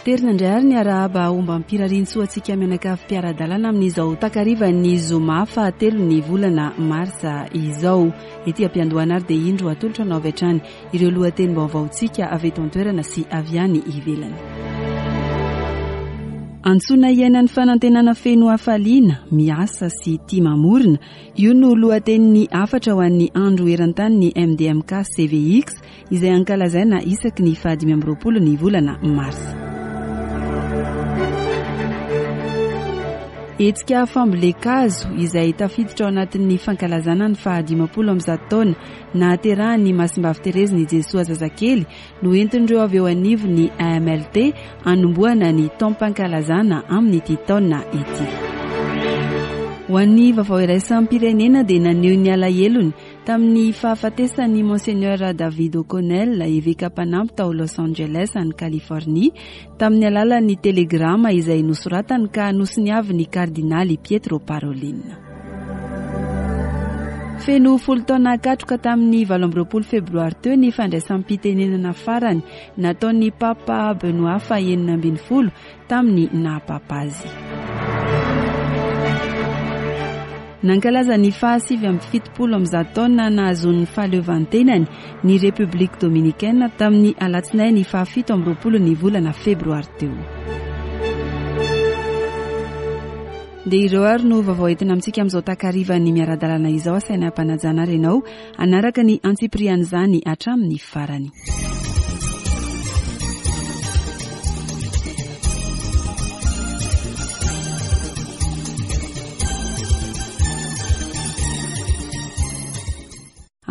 Aterina indray ary ny arahaba ombam-pirariantsoa antsika mianakavy mpiara-dalana amin'izao takarivan'ny zoma fahatelon'ny volana marsa izao. Ety am-piandohana ary dia indro atolotra anao avy hatrany ireo lohatenim-baovaontsika avy eto an-toerana sy avy any ivelany. Antsoina hiaina ny fanantenana feno hafaliana, miasa sy tia mamorona. Io no lohatenin'ny hafatra ho an'ny andro eran-tany ny MDMK CVX izay ankalazaina isaky ny fahadimy amby 20 ny volana marsa. Hetsika fambolen-kazo izay tafiditra ao anatin'ny fankalazana ny faha 150 taona nahaterahan'ny Masimbavy Terezin'i Jesoa zazakely no entin'ireo avy eo anivon'ny AMLT hanombohana ny taom-pankalazana amin'ity taona ity. Ho an'ny vaovao iraisam-pirenena dia naneho ny alahelony tamin'ny fahafatesan'ny Monseigneur David O'Connell, eveka mpanampy tao Los Angeles any Californie, tamin'ny alalan'ny telegrama izay nosoratany ka nosoniavin'ny kardinaly Pietro Parolin. Feno folo taona katroka tamin'ny 28 febroary teo ny fandraisam-pitenenana farany nataon'ny Papa Benoît fahenina ambin'ny folo tamin'ny naha Papa azy. Nankalaza ny faha 179 taona nahazoany ny fahaleovantenany ny République Dominicaine tamin'ny alatsinainy faha 27 ny volana febroary teo. Dia ireo ary no vaovao entina amintsika amin'izao takarivan'ny miara-dalana izao. Asaina ampanajana ary ianao hanaraka ny antsipirian'izany hatramin'ny farany.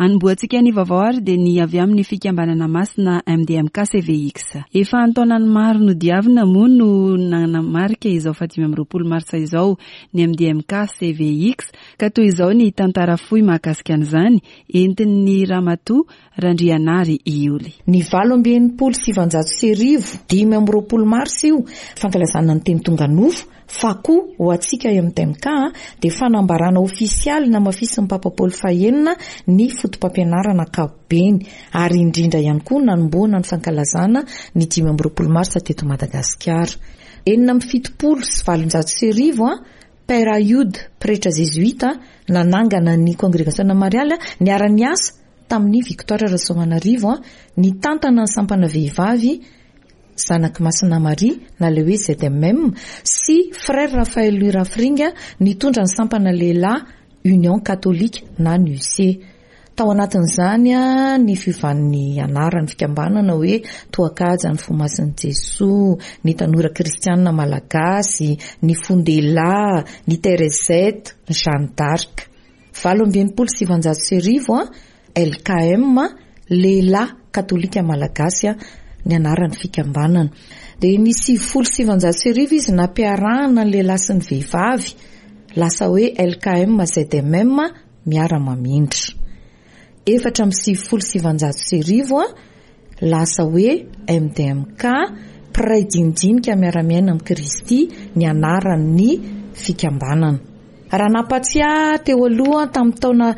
Anombohantsika ny vaovao ary dia ny avy amin'ny fikambanana masina MDMK CVX. Efa an-taonany maro nodiavina moa no nanamarika izao faha 25 marsa izao ny MDMK CVX ka toy izao ny tantara fohy mahakasika an'izany entin'ny Ramatoa Randrianary Ioly. Ny 1968, 25 marsa io, fankalazana ny teny tonga nofo, fa koa ho antsika MDMK dia fanambarana ofisialy namafisin'ny Papa Paoly fahenina ny fotopampianarana ankapobeny, ary indrindra ihany koa nanombohana ny fankalazana ny 25 marsa teto Madagasikara. 1876, Père Ayoud, pretra zezoita, nanangana ny kongregasiona marialy, niara-niasa tamin'i Victoire Rasoamanarivo, nitantana ny sampana vehivavy Zanak'i Masina Maria na ilay hoe ZMM, sy Frère Raphaël Louis Rafringa nitondra ny sampana lehilahy Union Catholique na ny UC. Tao anatin'izany ny fiovan'ny anaran'ny fikambanana hoe Toakaja ny Fo Masin'i Jesoa, ny Tanora Kristianina Malagasy, ny Fon-dehilahy, ny Teresette, ny Jeanne d'Arc. 1968, LKM, Lehilahy Katolika Malagasy, ny anaran'ny fikambanana. Dia ny 1990 izy nampiarahana ny lehilahy sy ny vehivavy, lasa hoe LKM ZMM miara-mamindra. 1994, lasa hoe MDMK, mpiray dinidinika miara-miaina amin'i Kristy, ny anaran'ny fikambanana. Raha nampatsiahy teo aloha tamin'ny taona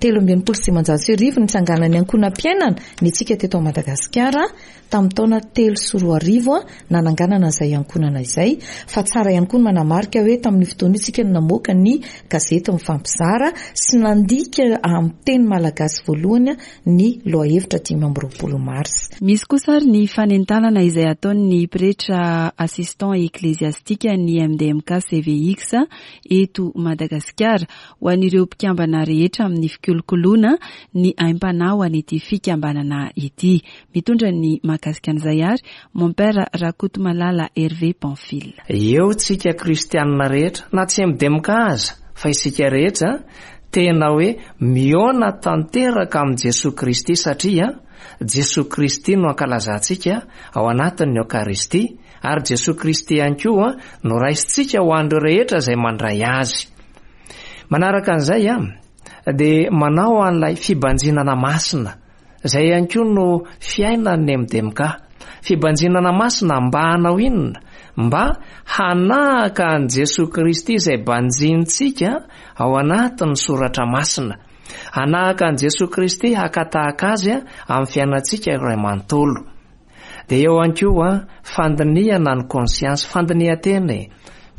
1563 nitsanganan'ny ankohonam-piainana ny antsika teto Madagasikara tamin'ny taona 2003 nananganana izay ankohonana izay fa tsara ihany koa ny manamarika hoe tamin'io fotoana io tsika no namoaka ny gazety mifampizara sy nandika amin'ny teny malagasy voalohany ny lohahevitra 25 marsa. Misy kosa ary ny fanentanana izay ataon'ny pretra assistant ecclésiastique ny MDMK CVX eto Madagasikara ho an'ireo mpikambana rehetra amin'ny fikolokoloana ny aim-panahy ho an'ity fikambanana ity. Mitondra ny mahakasika an'izay ary Mompera Rakotomalala Hervé Pamphile. Eo tsika kristianina rehetra, na tsy MDMK aza, fa isika rehetra tena hoe mihaona tanteraka amin'i Jesoa Kristy satria Jesoa Kristy no ankalazantsika ao anatin'ny Eokaristia ary Jesoa Kristy ihany koa no raisintsika ho an'ireo rehetra izay mandray Azy. Manaraka an'izay dia manao an'ilay fibanjinana masina, izay ihany koa no fiainan'ny MDMK. Fibanjinana masina mba hanao inona? Mba hanahaka an'i Jesoa Kristy izay banjinintsika ao anatin'ny soratra masina. Hanahaka an'i Jesoa Kristy haka tahaka Azy amin'ny fiainantsika iray manontolo. Dia eo ihany koa fandinihana ny conscience, fandinihan-tena e.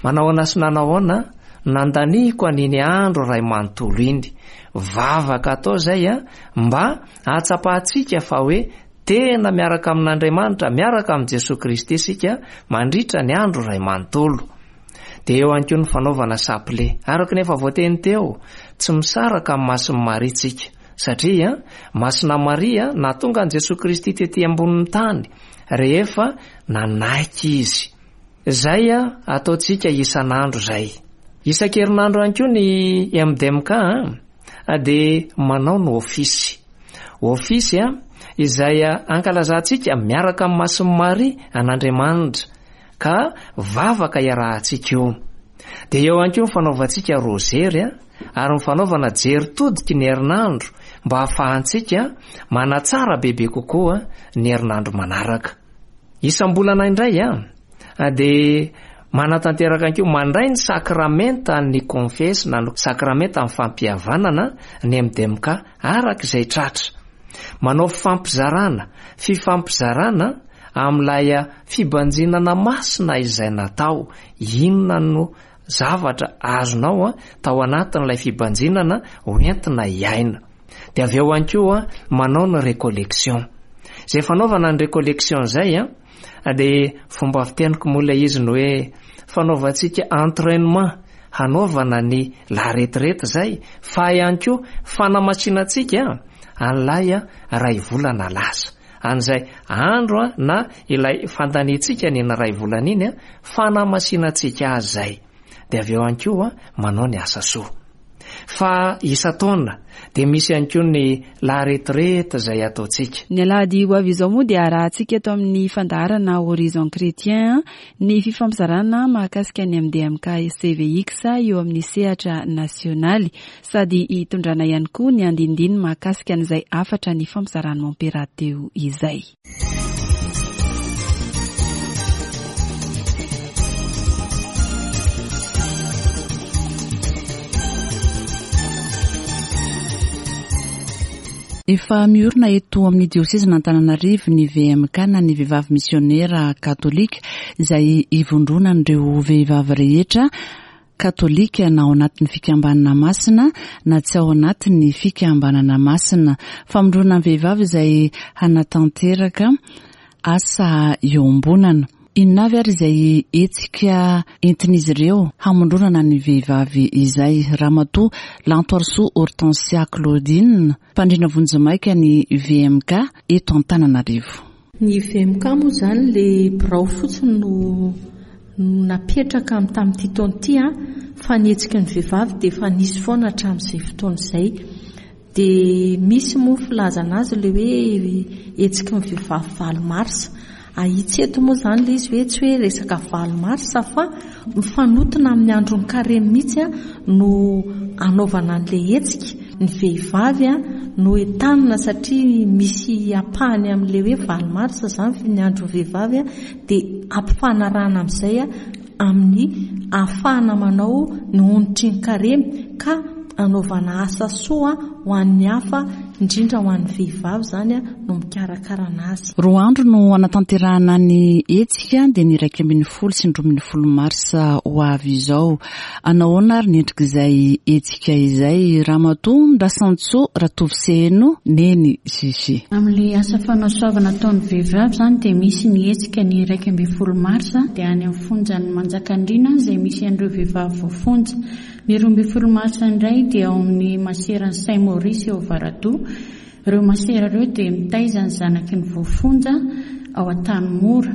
Manahoana sy nanahoana nandaniako an'iny andro iray manontolo iny. Vavaka atao izay mba hahatsapantsika fa hoe tena miaraka amin'Andriamanitra, miaraka amin'i Jesoa Kristy isika mandritra ny andro iray manontolo. Dia eo ihany koa ny fanaovana sapile. Araka ny efa voateny teo, tsy misaraka amin'i Masin'i Maria tsika. Satria Masina Maria nahatonga an'i Jesoa Kristy tety ambonin'ny tany rehefa nanaiky izy. Izay ataontsika isan'andro izay. Isan-kerinandro ihany koa ny MDMK dia manao ny ofisy. Ofisy izay ankalazantsika miaraka amin'i Masin'i Maria an'Andriamanitra ka vavaka iarahantsika io. Dia eo ihany koa ny fanaovantsika rozery ary ny fanaovana jery todiky ny herinandro mba hahafahantsika manatsara bebe kokoa ny herinandro manaraka. Isam-bolana indray dia manatanteraka ihany koa mandray ny sakramentan'ny konfesy na ny sakramentan'ny fampihavanana ny MDMK araka izay tratra. Manao fifampizarana, fifampizarana amin'ilay fibanjinana masina izay natao, inona no zavatra azonao tao anatin'ilay fibanjinana hoentina hiaina. Dia avy eo ihany koa manao ny recollection. Izay fanaovana ny recollection izay dia fomba fiteniko moa ilay izy ny hoe fanaovantsika entrainement hanaovana ny la retraite izay fa ihany koa fanamasinantsika an'ilay iray volana lasa. An'izay andro na ilay fandaniantsika an'iny iray volana iny, fanamasinantsika azy izay. Dia avy eo ihany koa manao ny asa soa. Fa isan-taona dia misy ihany koa ny la retraite izay ataontsika. Ny alahady ho avy izao moa dia arahantsika eto amin'ny fandaharana Horizon Chrétien ny fifampizarana mahakasika ny MDMK CVX eo amin'ny sehatra nasionaly sady hitondrana ihany koa ny andinindininy mahakasika an'izay hafatra nifampizaran'i Mompera teo izay. Efa miorina eto amin'ny diosezin'Antananarivo ny VMK na ny Vehivavy Misionera Katolika izay ivondronan'ireo vehivavy rehetra katolika na ao anatin'ny fikambanana masina na tsy ao anatin'ny fikambanana masina. Famondronana ny vehivavy izay hanatanteraka asa iombonana. Inona avy ary izay hetsika entin'izy ireo hamondronana ny vehivavy izay? Ramatoa Lantoarisoa Hortensia Claudine, mpandrindra vonjimaika ny VMK eto Antananarivo. Ny VMK moa izany ilay birao fotsiny no napetraka tamin'ity taona ity fa ny hetsiky ny vehivavy dia efa nisy foana hatramin'izay fotoana izay. Dia misy moa ny filazana azy ilay hoe hetsiky ny vehivavy valo marsa. Ahitsy eto moa izany ilay izy hoe tsy hoe resaka valo marsa fa mifanotona amin'ny andron'ny karemy mihitsy no anaovana an'ilay hetsika. Ny vehivavy no entanina satria misy ampahany amin'ilay hoe valo marsa izany ny andron'ny vehivavy dia ampifanarahana amin'izay amin'ny ahafahana manao ny onitry ny karemy ka anaovana asa soa ho an'ny hafa indrindra ho an'ny vehivavy izany no mikarakarana azy. Roa andro no hanatanterahana ny hetsika dia ny 11 sy ny 12 marsa ho avy izao. Anahoana ary ny endrik'izay hetsika izay Ramatoa Ndrasantsoa Ratovoseheno Neny Gigi? Amin'ilay asa fanasoavana ataon'ny vehivavy izany dia misy ny hetsika ny 11 marsa dia any amin'ny fonjan'i Manjakandriana izay misy an'ireo vehivavy voafonja. Ny 12 marsa indray dia ao amin'ny maseran'i Saint Maurice eo Avaradoha. Ireo masera ireo dia mitaiza ny zanaky ny voafonja ao Antanimora.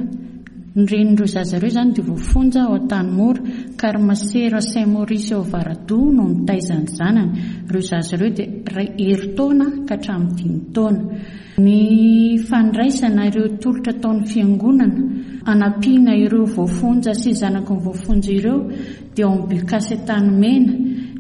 Ny renin'ireo zaza ireo izany dia voafonja ao Antanimora, ka ry masera Saint Maurice ao Avaradoha no mitaiza ny zanany. Ireo zaza ireo dia iray herintaona ka hatramin'ny dimy taona. Ny fandraisana ireo tolotra ataon'ny fiangonana hanampiana ireo voafonja sy zanaky ny voafonja ireo dia ao amin'ny Bucas Antanimena,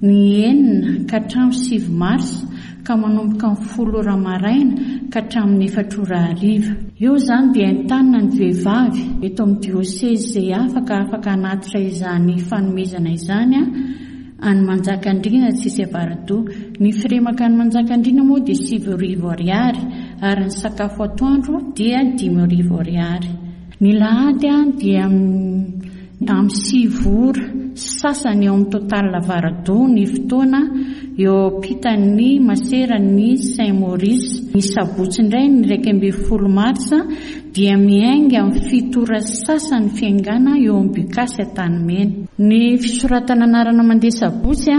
ny enina ka hatramin'ny sivy marsa ka manomboka amin'ny folo ora maraina ka hatramin'ny efatra ora hariva. Eo izany dia entanina ny vehivavy eto amin'ny diosezy izay afaka afaka hanatitra izany fanomezana izany any Manjakandriana sy Avaradoha. Ny firemaka any Manjakandriana moa dia 9000 ariary. ary ny sakafo atoandro dia 5000 ariary. Ny lahady dia amin'ny 9 ora sy sasany eo amin'ny Total Avaradoha ny fotoana eo ampitan'ny maseran'ny Saint Maurice. Ny sabotsy indray ny 11 marsa dia miainga amin'ny 7 ora sy sasany ny fiaingàna eo amin'ny Bucas Antanimena. Ny fisoratana anarana mandeha sabotsy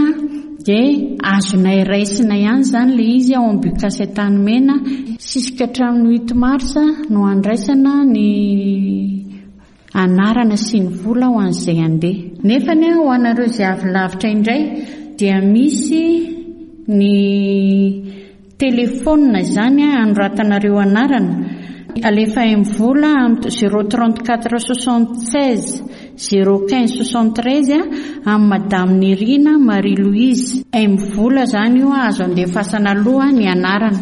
dia azonay raisina ihany izany ilay izy ao amin'ny Bucas Antanimena. Sisika hatramin'ny huit mars no handraisana ny anarana sy ny vola ho an'izay handeha. Nefany ho anareo izay avy lavitra indray dia misy ny telefaonina izany hanoratanareo anarana. Alefa MVola amin'ny zéro 34 76 zéro 15 73 amin'i Madame Nirina Marie Louise. MVola izany io azo andefasana aloha ny anarana.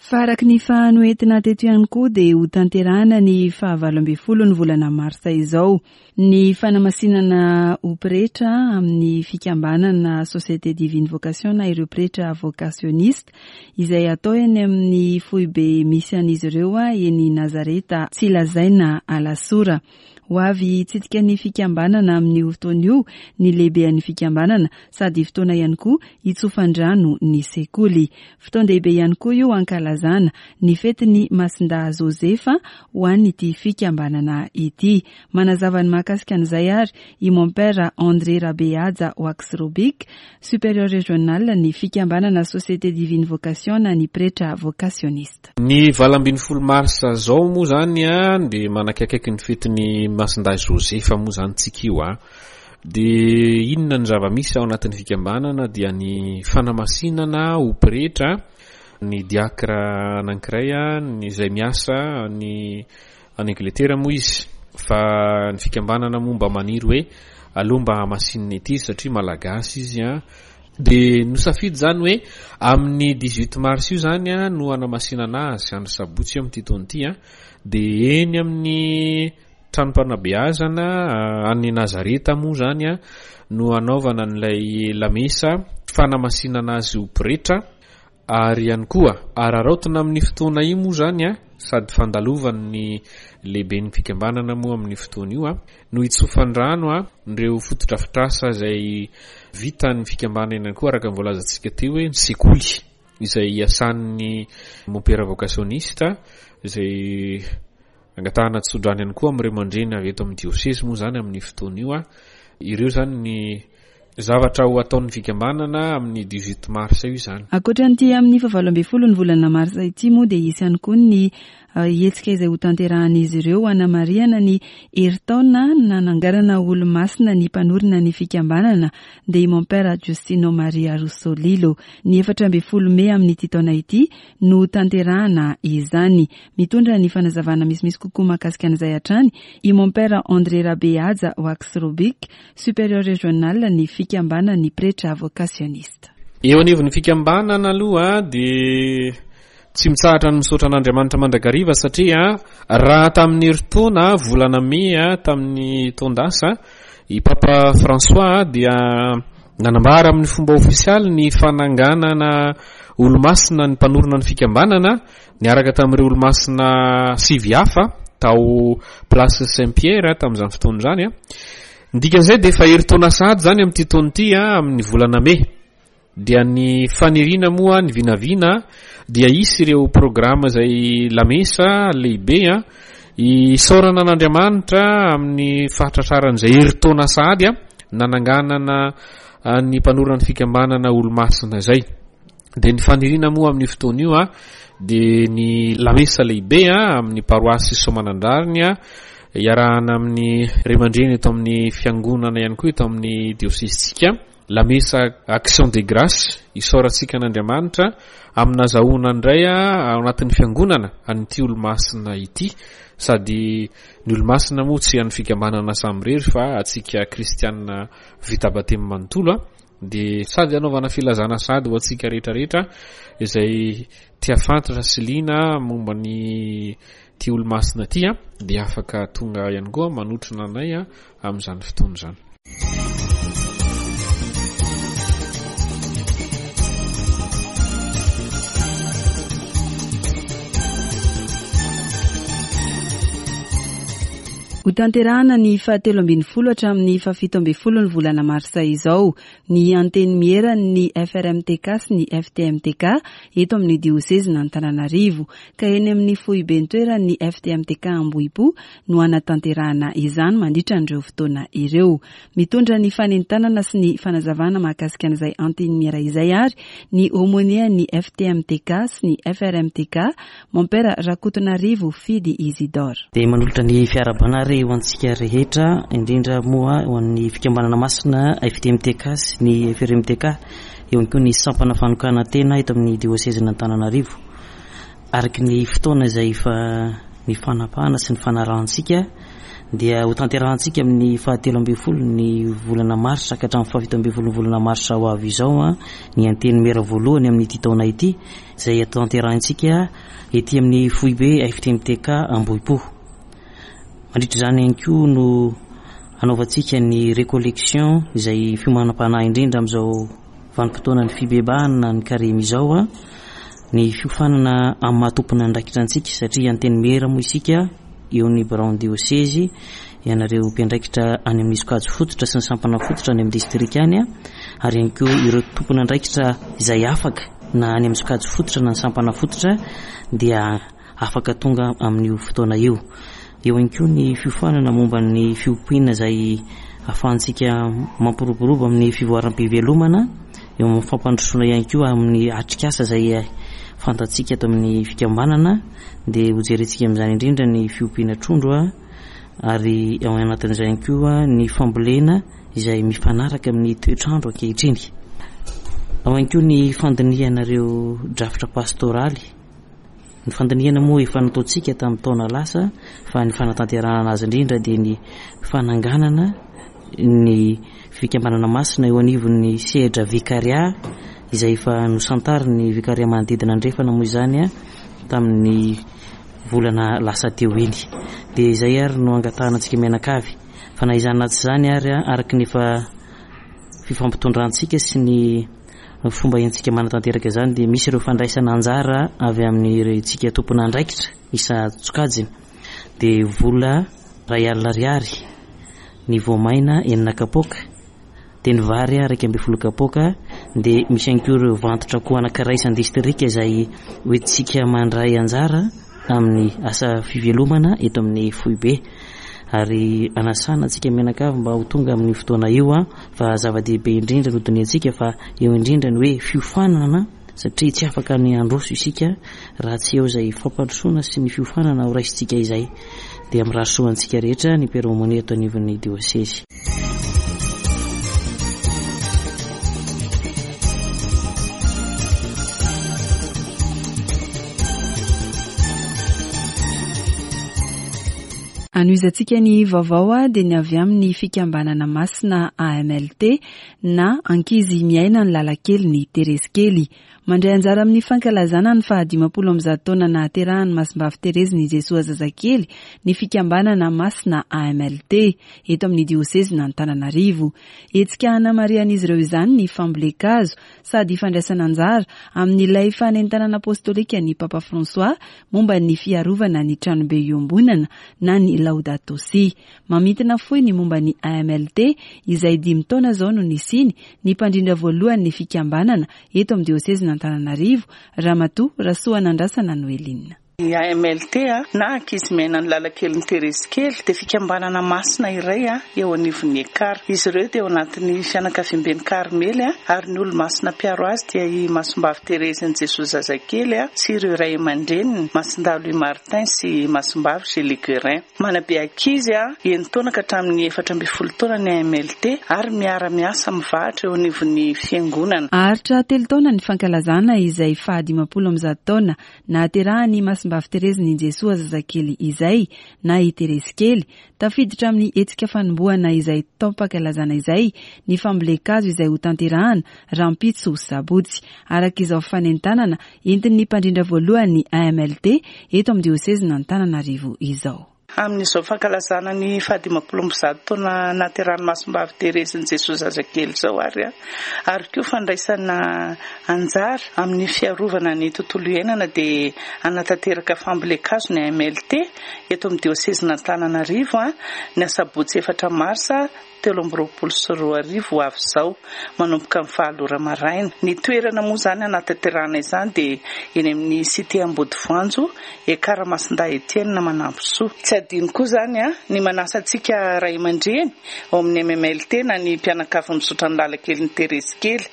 Fa araka ny efa noentina teto ihany koa dia ho tanterahana ny fahavalo ambin'ny folo ny volana marsa izao ny fanamasinana ho pretra amin'ny fikambanana Société Divine Vocation na ireo pretra vocationiste izay atao eny amin'ny foibe misy an'izy ireo eny Nazareta Tsilazaina Alasora. Ho avy hitsidika ny fikambanana amin'io fotoana io ny lehibean'ny fikambanana sady fotoana ihany koa hitsofan-drano ny sekoly. Fotoan-dehibe ihany koa io hankalazana ny fetin'ny Masindahy Josefa ho an'ity fikambanana ity. Manazava ny mahakasika an'izay ary i Mompera André Rabehaja Waxrobic, Supérieur Régional ny fikambanana Société Divine Vocation na ny pretra vocationiste. Ny 18 marsa zao moa zany dia manakaikaiky ny fetin'ny Masindahy Josefa moa zany tsika io a. Dia inona ny zava-misy ao anatin'ny fikambanana dia ny fanamasinana ho pretra ny diakra anankiray izay miasa any any Angletera moa izy fa ny fikambanana moa mba maniry hoe aleo mba hamasinina ety izy satria malagasy izy a. Dia nosafidy izany hoe amin'ny 18 mars io izany a no hanamasinana azy andro sabotsy io amin'ity taona ity a. Dia eny amin'ny tranom-panabeazana any Nazareta moa izany a no hanaovana an'ilay lamesa fanamasinana azy ho pretra. Ary ihany koa, araraotina amin'ny fotoana io moa izany an, sady fandalovan'ny lehiben'ny fikambanana moa amin'io fotoana io an, no hitsofan-drano an, ireo fotodrafitrasa izay vitan'ny fikambanana ihany koa araka ny voalazantsika teo hoe ny sekoly izay iasan'ny mompera vocationiste izay angatahana tsodrano ihany koa amin'ireo aman-dreny avy eto amin'ny diosezy moa izany amin'io fotoana io an, ireo izany ny Zavatra ho ataon'ny fikambanana amin'ny 18 mars io izany. Ankoatra an'ity amin'ny fahavalo ambin'ny ny volana marsa ity moa dia hisy ihany koa ny hetsika izay hotanterahan'izy ireo hanamarihana ny herintaona nananganana olomasina ny mpanorina ny fikambanana dia i Mompera Giustino Maria Russolillo. Ny 14 mey amin'ity taona ity no hotanterahana izany. Mitondra ny fanazavana misimisy kokoa mahakasika an'izay hatrany i Mompera André Rabehaja Waxrobic, Supérieur Régional ny fikambanan'ny pretra vocationiste. Eo anivon'ny fikambanana aloha dia tsy mitsahatra ny misaotra an'Andriamanitra mandrakariva satria raha tamin'ny herintaona volana mey tamin'ny taon-dasa i Papa François dia nanambara amin'ny fomba ofisialy ny fananganana olomasina ny mpanorina ny fikambanana niaraka tamin'ireo olomasina sivy hafa tao Place Saint Pierre tamin'izany fotoana izany. Ny dikan'izay dia efa herintaona sahady izany amin'ity taona ity amin'ny volana mey. Dia ny faniriana moa ny vinavina dia hisy ireo programa izay lamesa lehibe isaorana an'Andriamanitra amin'ny fahatratraran'izay herintaona sahady nananganana ny mpanorina ny fikambanana olomasina izay. Dia ny faniriana moa amin'io fotoana io dia ny lamesa lehibe amin'ny paroasy Soamanandrariny iarahana amin'ny ray aman-dreny eto amin'ny fiangonana ihany koa eto amin'ny diosesintsika. Lamesa Action de Grâce isaorantsika an'Andriamanitra amin'ny nazahoana indray ao anatin'ny fiangonana an'ity olomasina ity. Sady ny olomasina moa tsy an'ny fikambanana samirery fa antsika kristianina vita batemy manontolo. Dia sady hanaovana filazana sahady ho antsika rehetra rehetra izay tia fantatra sy liana momba ny ity olomasina ity dia afaka tonga ihany koa manotrona anay amin'izany fotoana izany. Hotanterahana ny fahatelo ambin'ny folo hatramin'ny fahafito ambin'ny folo ny volana marsa izao ny antenimieran'ny FRMTK sy ny FTMTK eto amin'ny diosezin'Antananarivo ka eny amin'ny foiben-toeran'ny FTMTK Ambohipo no hanatanterahana izany mandritra an'ireo fotoana ireo. Mitondra ny fanentanana sy ny fanazavana mahakasika an'izay antenimiera izay ary ny aumônier-n'ny FTMTK sy ny FRMTK, Mompera Rakotonarivo Fidy Isidore. Dia manolotra ny fiarahabana ary ho antsika rehetra, indrindra moa ho an'ny Fikambanana Masina FTMTK sy ny FRMTK, eo ihany koa ny sampana fanokanan-tena eto amin'ny Diosezin'Antananarivo. Araka ny fotoana izay efa nifanapahana sy nifanarahantsika dia hotanterahantsika amin'ny fahatelo ambin'ny folo ny volana marsa ka hatramin'ny fahafito ambin'ny folo ny volana marsa ho avy izao ny antenimiera voalohany amin'ity taona ity izay tanterahintsika ety amin'ny foibe FTMTK Ambohipo. Mandritra izany ihany koa no hanaovantsika ny recollection izay fiomanam-panahy indrindra amin'izao vanim-potoanan'ny fibebahana ny karemy izao, ny fiofanana amin'ny maha tompon'andraikitra antsika satria antenimiera moa isika eo ny biraon'ny diosezy, ianareo mpiandraikitra any amin'ny sokajy fototra sy ny sampana fototra any amin'ny distrika any ary ihany koa ireo tompon'andraikitra izay afaka na any amin'ny sokajy fototra na ny sampana fototra dia afaka tonga amin'io fotoana io. Eo ihany koa ny fiofanana momba ny fiompiana izay ahafahantsika mampiroborobo amin'ny fivoaram-pivelomana, eo amin'ny fampandrosoana ihany koa amin'ny atrikasa izay fantatsika ato amin'ny fikambanana dia hojerentsika amin'izany indrindra ny fiompiana trondro ary ao anatin'izay ihany koa ny fambolena izay mifanaraka amin'ny toetr'andro ankehitriny. Ao ihany koa ny fandinihana ireo drafitra pastoraly. Ny fandinihana moa efa nataontsika tamin'ny taona lasa fa ny fanatanterahana azy indrindra dia ny fananganana ny fikambanana masina eo anivon'ny sehatra vikaria izay efa nosantarin'ny vikaria manodidina andrefana moa izany tamin'ny volana lasa teo iny. Dia izay ary no angatahana antsika mianakavy fa na izany na tsy izany ary araka ny efa fifampitondrantsika sy ny Ny fomba entintsika manatanteraka izany dia misy ireo fandraisana anjara avy amin'ireo tsika tompon'andraikitra isan-tsokajiny dia vola 1000 ariary ny voamaina enina kapoaka dia ny vary 11 kapoaka dia misy ihany koa ireo vantotra akoho anankiray isan-distrika izay hoentintsika mandray anjara amin'ny asa fivelomana eto amin'ny foibe ary anasana antsika mianakavy mba ho tonga amin'ny fotoana io an fa zava-dehibe indrindra no dinihantsika fa eo indrindra ny hoe fiofanana satria tsy afaka ny handroso isika raha tsy eo izay fampandrosoana sy ny fiofanana ho raisintsika izay dia mirary soa antsika rehetra ny Père Aumônier eto anivon'ny diosezy. Anohizantsika ny vaovao dia ny avy amin'ny fikambanana masina AMLT na Ankizy miaina ny lalankelin'i Terezy Kely. Mandray anjara amin'ny fankalazana ny faha 150 taona nahaterahan'i Masimbavy Terezin'i Jesoa Zazakely ny fikambanana masina AMLT eto amin'ny diosezin'Antananarivo. Hetsika hanamarihan'izy ireo izany ny fambolen-kazo sady fandraisana anjara amin'ilay fanentanana apostolikan'ny Papa François momba ny fiarovana ny tranobe iombonana na ny Laudato Si. Mamintina fohy ny momba ny AMLT izay dimy taona izao no nisiany ny mpandrindra voalohan'ny fikambanana eto amin'ny diosezin'Antananarivo, Ramatoa Rasoanandrasana Noeline. Ny AMLT na Ankizy Miaina ny Lalankelin'i Terezy Kely dia fikambanana masina iray eo anivon'ny Ekar. Izy ireo dia ao anatin'ny fianakaviamben'i Karmely ary ny olomasina mpiaro azy dia i Masimbavy Terezin'i Jesoa Zazakely sy ireo ray aman-dreniny, Masindahy Louis Martin sy Masimbavy Gélie Guérin. Manabe ankizy enin-taona ka hatramin'ny 14 taona ny AMLT ary miara-miasa mivahatra eo anivon'ny fiangonana. Haharitra telo taona ny fankalazana izay faha 150 taona nahaterahan'i Masimbavy. Masimbavy Terezin'i Jesoa zazakely izay na i Terezy kely. Tafiditra amin'ny hetsika fanombohana izay taom-pankalazana izay ny fambolen-kazo izay hotanterahana rahampitso sabotsy. Araka izao fanentanana entin'ny mpandrindra voalohany AMLT eto amin'ny diosezin'Antananarivo izao. Amin'izao fankalazana ny fahadimampolo ambizato taona nahaterahan'i Masimbavy Terezin'i Jesoa Zazakely izao ary ary koa fandraisana anjara amin'ny fiarovana ny tontolo iainana dia hanatanteraka fambolen-kazo ny AMLT eto amin'ny diosezin'Antananarivo ny asabotsy efatra marsa 2023 ho avy izao, manomboka amin'ny valo ora maraina. Ny toerana moa izany hanatanterahana izany dia eny amin'ny Cité Ambodivoanjo, Ekar Masindahy Etienne Manampisoa. Tsy adino koa izany ny manasa antsika ray aman-dreny ao amin'ny MMLT na ny mpianakavy mizotra ny lalan-kelin'i Terezy kely.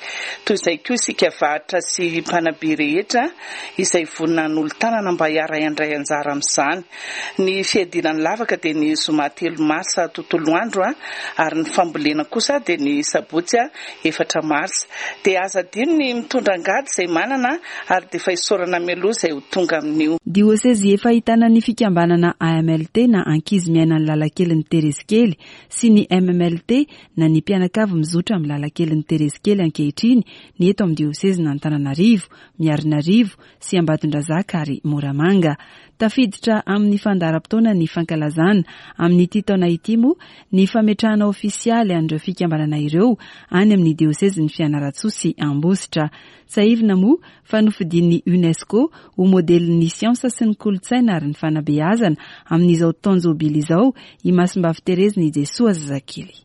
Toy izay koa isika varotra sy mpanabe rehetra izay vonona hanolo-tanana mba hiara-handray anjara amin'izany. Ny fiadiana ny lavaka dia ny zoma telo marsa tontolo andro ary ny fambolena kosa dia ny sabotsy efatra marsa. Dia aza adino ny mitondra angady izay manana ary dia efa isaorana mialoha izay ho tonga amin'io. Diosezy efa ahitana ny fikambanana AMLT na Ankizy Miaina ny Lalankelin'i Terezy Kely sy ny MMLT na ny Mpianakavy Mizotra amin'ny Lalankelin'i Terezy Kely ankehitriny ny eto amin'ny diosezin'Antananarivo, Miarinarivo sy Ambatondrazaka ary Moramanga. Tafiditra amin'ny fandaharam-potoana ny fankalazana amin'ity taona ity moa ny fametrahana ofisialy an'ireo fikambanana ireo any amin'ny diosezin'i Fianarantsoa sy Ambositra. Tsiahivina moa fa nofidian'ny Unesco ho modelin'ny siansa sy ny kolontsaina ary ny fanabeazana amin'izao taon-jobily izao i Masimbavy Terezin'i Jesoa Zazakely.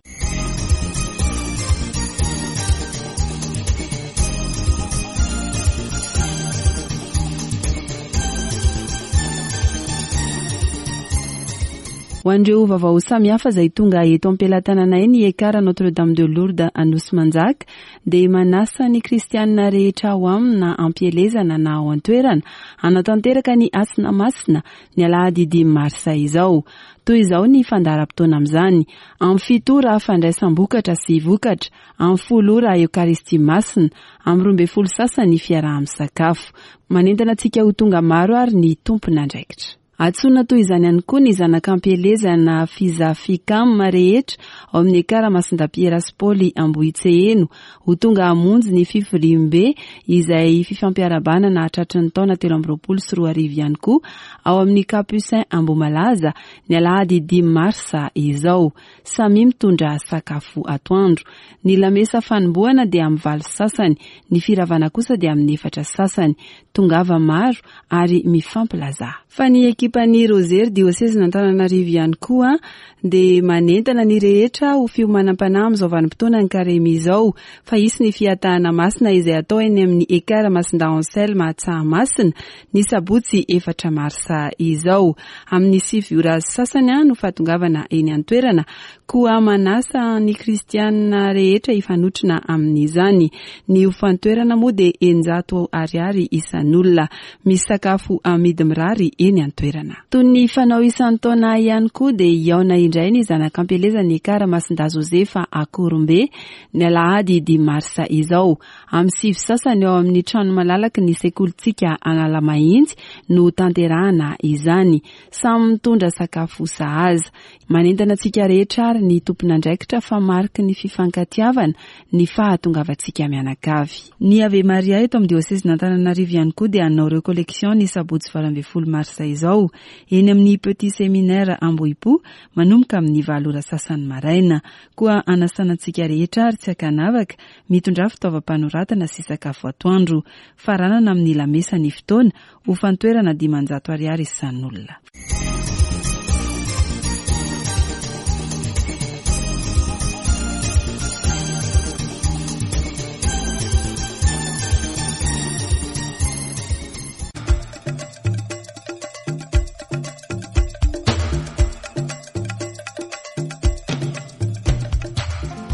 Ho an'ireo vaovao samihafa izay tonga eto am-pelatananay ny Ekar Notre Dame de Lourdes Anosimanjaka dia manasa ny kristianina rehetra ao aminy na am-pielezana na ao an-toerana hanatanteraka ny Hasina Masina ny alahady dimy marsa izao. Toy izao ny fandaharam-potoana amin'izany, Amin'ny fito ora fandraisam-bokatra sy vokatra, amin'ny folo ora Eokaristia Masina, amin'ny 12 sasany fiaraha-misakafo. Manentana antsika ho tonga maro ary ny tompon'andraikitra. Antsoina toy izany ihany koa ny zanak'ampielezana Fizafikam rehetra ao amin'ny Ekara Masindapiera sy Paoly Ambohitseheno ho tonga hamonjy ny fivoriambe izay fifampiarahabana nahatratry ny taona 2023 ihany koa ao amin'ny Capucin Ambohimalaza ny alahady dimy marsa izao. Samia mitondra sakafo atoandro. Ny lamesa fanombohana dia amin'ny valo sasany, ny firavana kosa dia amin'ny efatra sasany. Tongava maro ary mifampilazà. Fa ny ekipan'ny Rozery diosezin'Antananarivo ihany koa dia manentana ny rehetra ho fiomanam-panahy amin'izao vanim-potoanan'ny Karemy izao fa hisy ny fihatahana masina izay atao eny amin'ny Ekar Masindahy Anselme Tsahamasina ny sabotsy efatra marsa izao. Amin'ny sivy ora sasany no fahatongavana eny an-toerana, koa manasa ny kristianina rehetra hifanotrona amin'izany. Ny hofan-toerana moa dia 600 ariary isan'olona. Misy sakafo amidy mirary eny an-toerana. Toy ny fanao isan-taona ihany koa dia hihaona indray ny zanak'ampielezan'ny Ekar Masindahy Josefa Akorombe ny alahady dimy marsa izao. Amin'ny sivy sasany ao amin'ny trano malalaky ny sekolintsika Analamahitsy no tanterahana izany. Samy mitondra sakafo sahaza. Manentana antsika rehetra ary ny tompon'andraikitra fa mariky ny fifankatiavana ny fahatongavantsika mianakavy. Ny Ave Maria eto amin'ny diosezin'Antananarivo ihany koa dia hanao recollection ny sabotsy 18 marsa izao eny amin'ny Petit Séminaire Ambohipo manomboka amin'ny valo ora sasany maraina. Koa anasana antsika rehetra ary tsy ankanavaka Mitondrà fitaovam-panoratana sy sakafo atoandro. Faranana amin'ny lamesa ny fotoana, hofan-toerana 500 ariary isan'olona.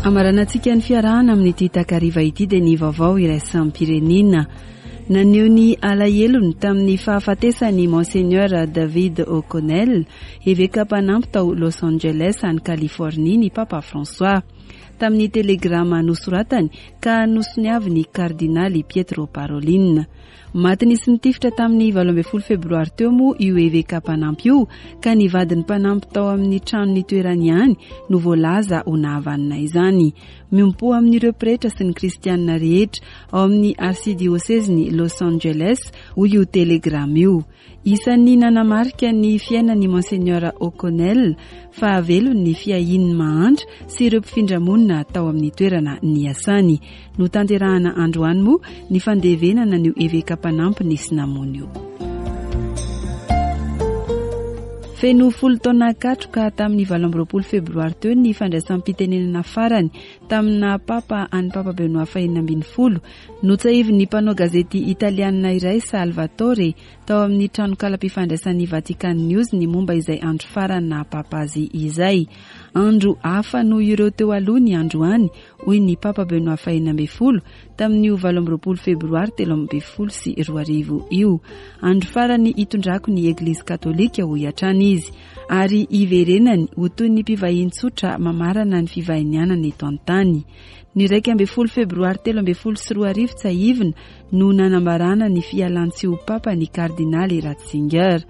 Amaranantsika ny fiarahana amin'ity takariva ity dia ny vaovao iraisam-pirenena. Naneho ny alahelony tamin'ny fahafatesan'i Monseigneur David O'Connell, eveka mpanampy tao Los Angeles any Californie ny Papa François. Tamin'ny telegrama nosoratany ka nosoniavin'ny Kardinaly Pietro Parolin. Maty nisy nitifitra tamin'ny 18 febroary teo moa io eveka mpanampy io ka ny vadin'ny mpanampy tao amin'ny trano nitoerany ihany no voalaza ho nahavanona izany. Miompo amin'ireo pretra sy ny kristianina rehetra ao amin'ny arsidiosezin'i Los Angeles, hoy io telegrama io. Isan'ny nanamarika ny fiainan'i Monseigneur O'Connell fahavelony ny fiahiany ny mahantra sy ireo mpifindra monina tao amin'ny toerana niasany. Notanterahana androany moa ny fandevenana an'io eveka mpanampy nisy namono io. Feno folo taona katroka tamin'ny 28 febroary teo ny fandraisam-pitenenana farany tamina papa an'i Papa Benoît fahenina ambin'ny folo. Notsahivin'ny mpanao gazety italianina iray Salvatore tao amin'ny tranokalam-pifandraisan'ny Vatican News ny momba izay andro farany naha papa azy izay. Andro hafa noho ireo teo aloha ny androany, hoy ny Papa Benoît XVI tamin'io 28 febroary 2013 io. Andro farany hitondrako ny Eglizy Katolika, hoy hatrany izy, ary hiverenany ho toy ny mpivahiny tsotra mamarana ny fivahinianana eto an-tany. Ny 11 febroary 2013 tsiahivina no nanambarana ny fialany tsy ho Papa ny Kardinaly Ratzinger.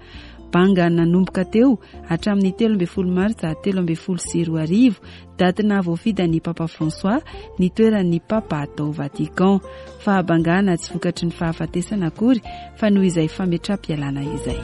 Banga nanomboka teo hatramin'ny 13 martsa 2013, daty nahavoafidy an'i Papa François ny toeran'ny Papa tao Vatican. Fahabangana tsy vokatry ny fahafatesana akory fa noho izay fametram-pialana izay.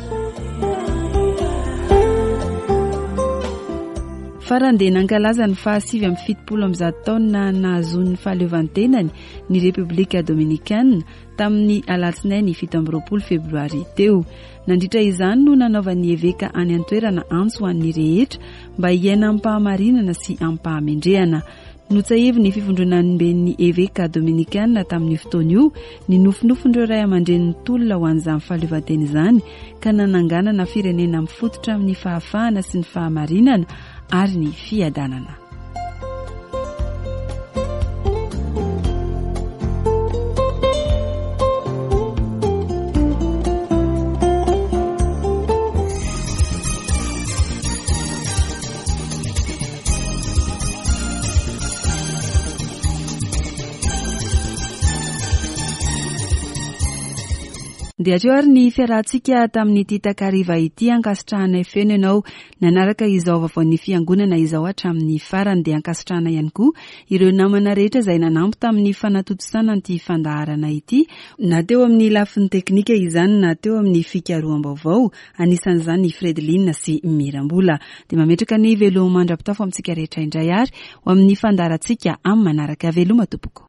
Farany dia nankalaza ny faha 179 taona nahazoany ny fahaleovantenany ny Repoblika Dominikana tamin'ny alatsinainy 27 febroary teo. Nandritra izany no nanaovan'ny eveka any an-toerana antso ho an'ny rehetra mba hiaina amim-pahamarinana sy amim-pahamendrehana. Notsahivin'ny fivondronamben'ny eveka dominikana tamin'io fotoana io ny nofinofin'ireo ray aman-dreny nitolona ho an'izany fahaleovantena izany ka nananganana firenena mifototra amin'ny fahafahana sy ny fahamarinana ary ny fiadanana. Dia hatreo ary ny fiarahantsika tamin'ity takariva ity ankasitrahanay feno ianao Nanaraka izao vaovaon'ny Fiangonana izao hatramin'ny farany dia ankasitrahana ihany koa ireo namana rehetra izay nanampy tamin'ny fanatontosana an'ity fandaharana ity na teo amin'ny lafiny teknika izany na teo amin'ny fikaroham-baovao, anisan'izany i Fredeline sy Mirambola. Dia mametraka ny veloma mandra-pitafo amintsika rehetra indray ary ho amin'ny fandaharantsika amin'ny manaraka. Veloma tompoko.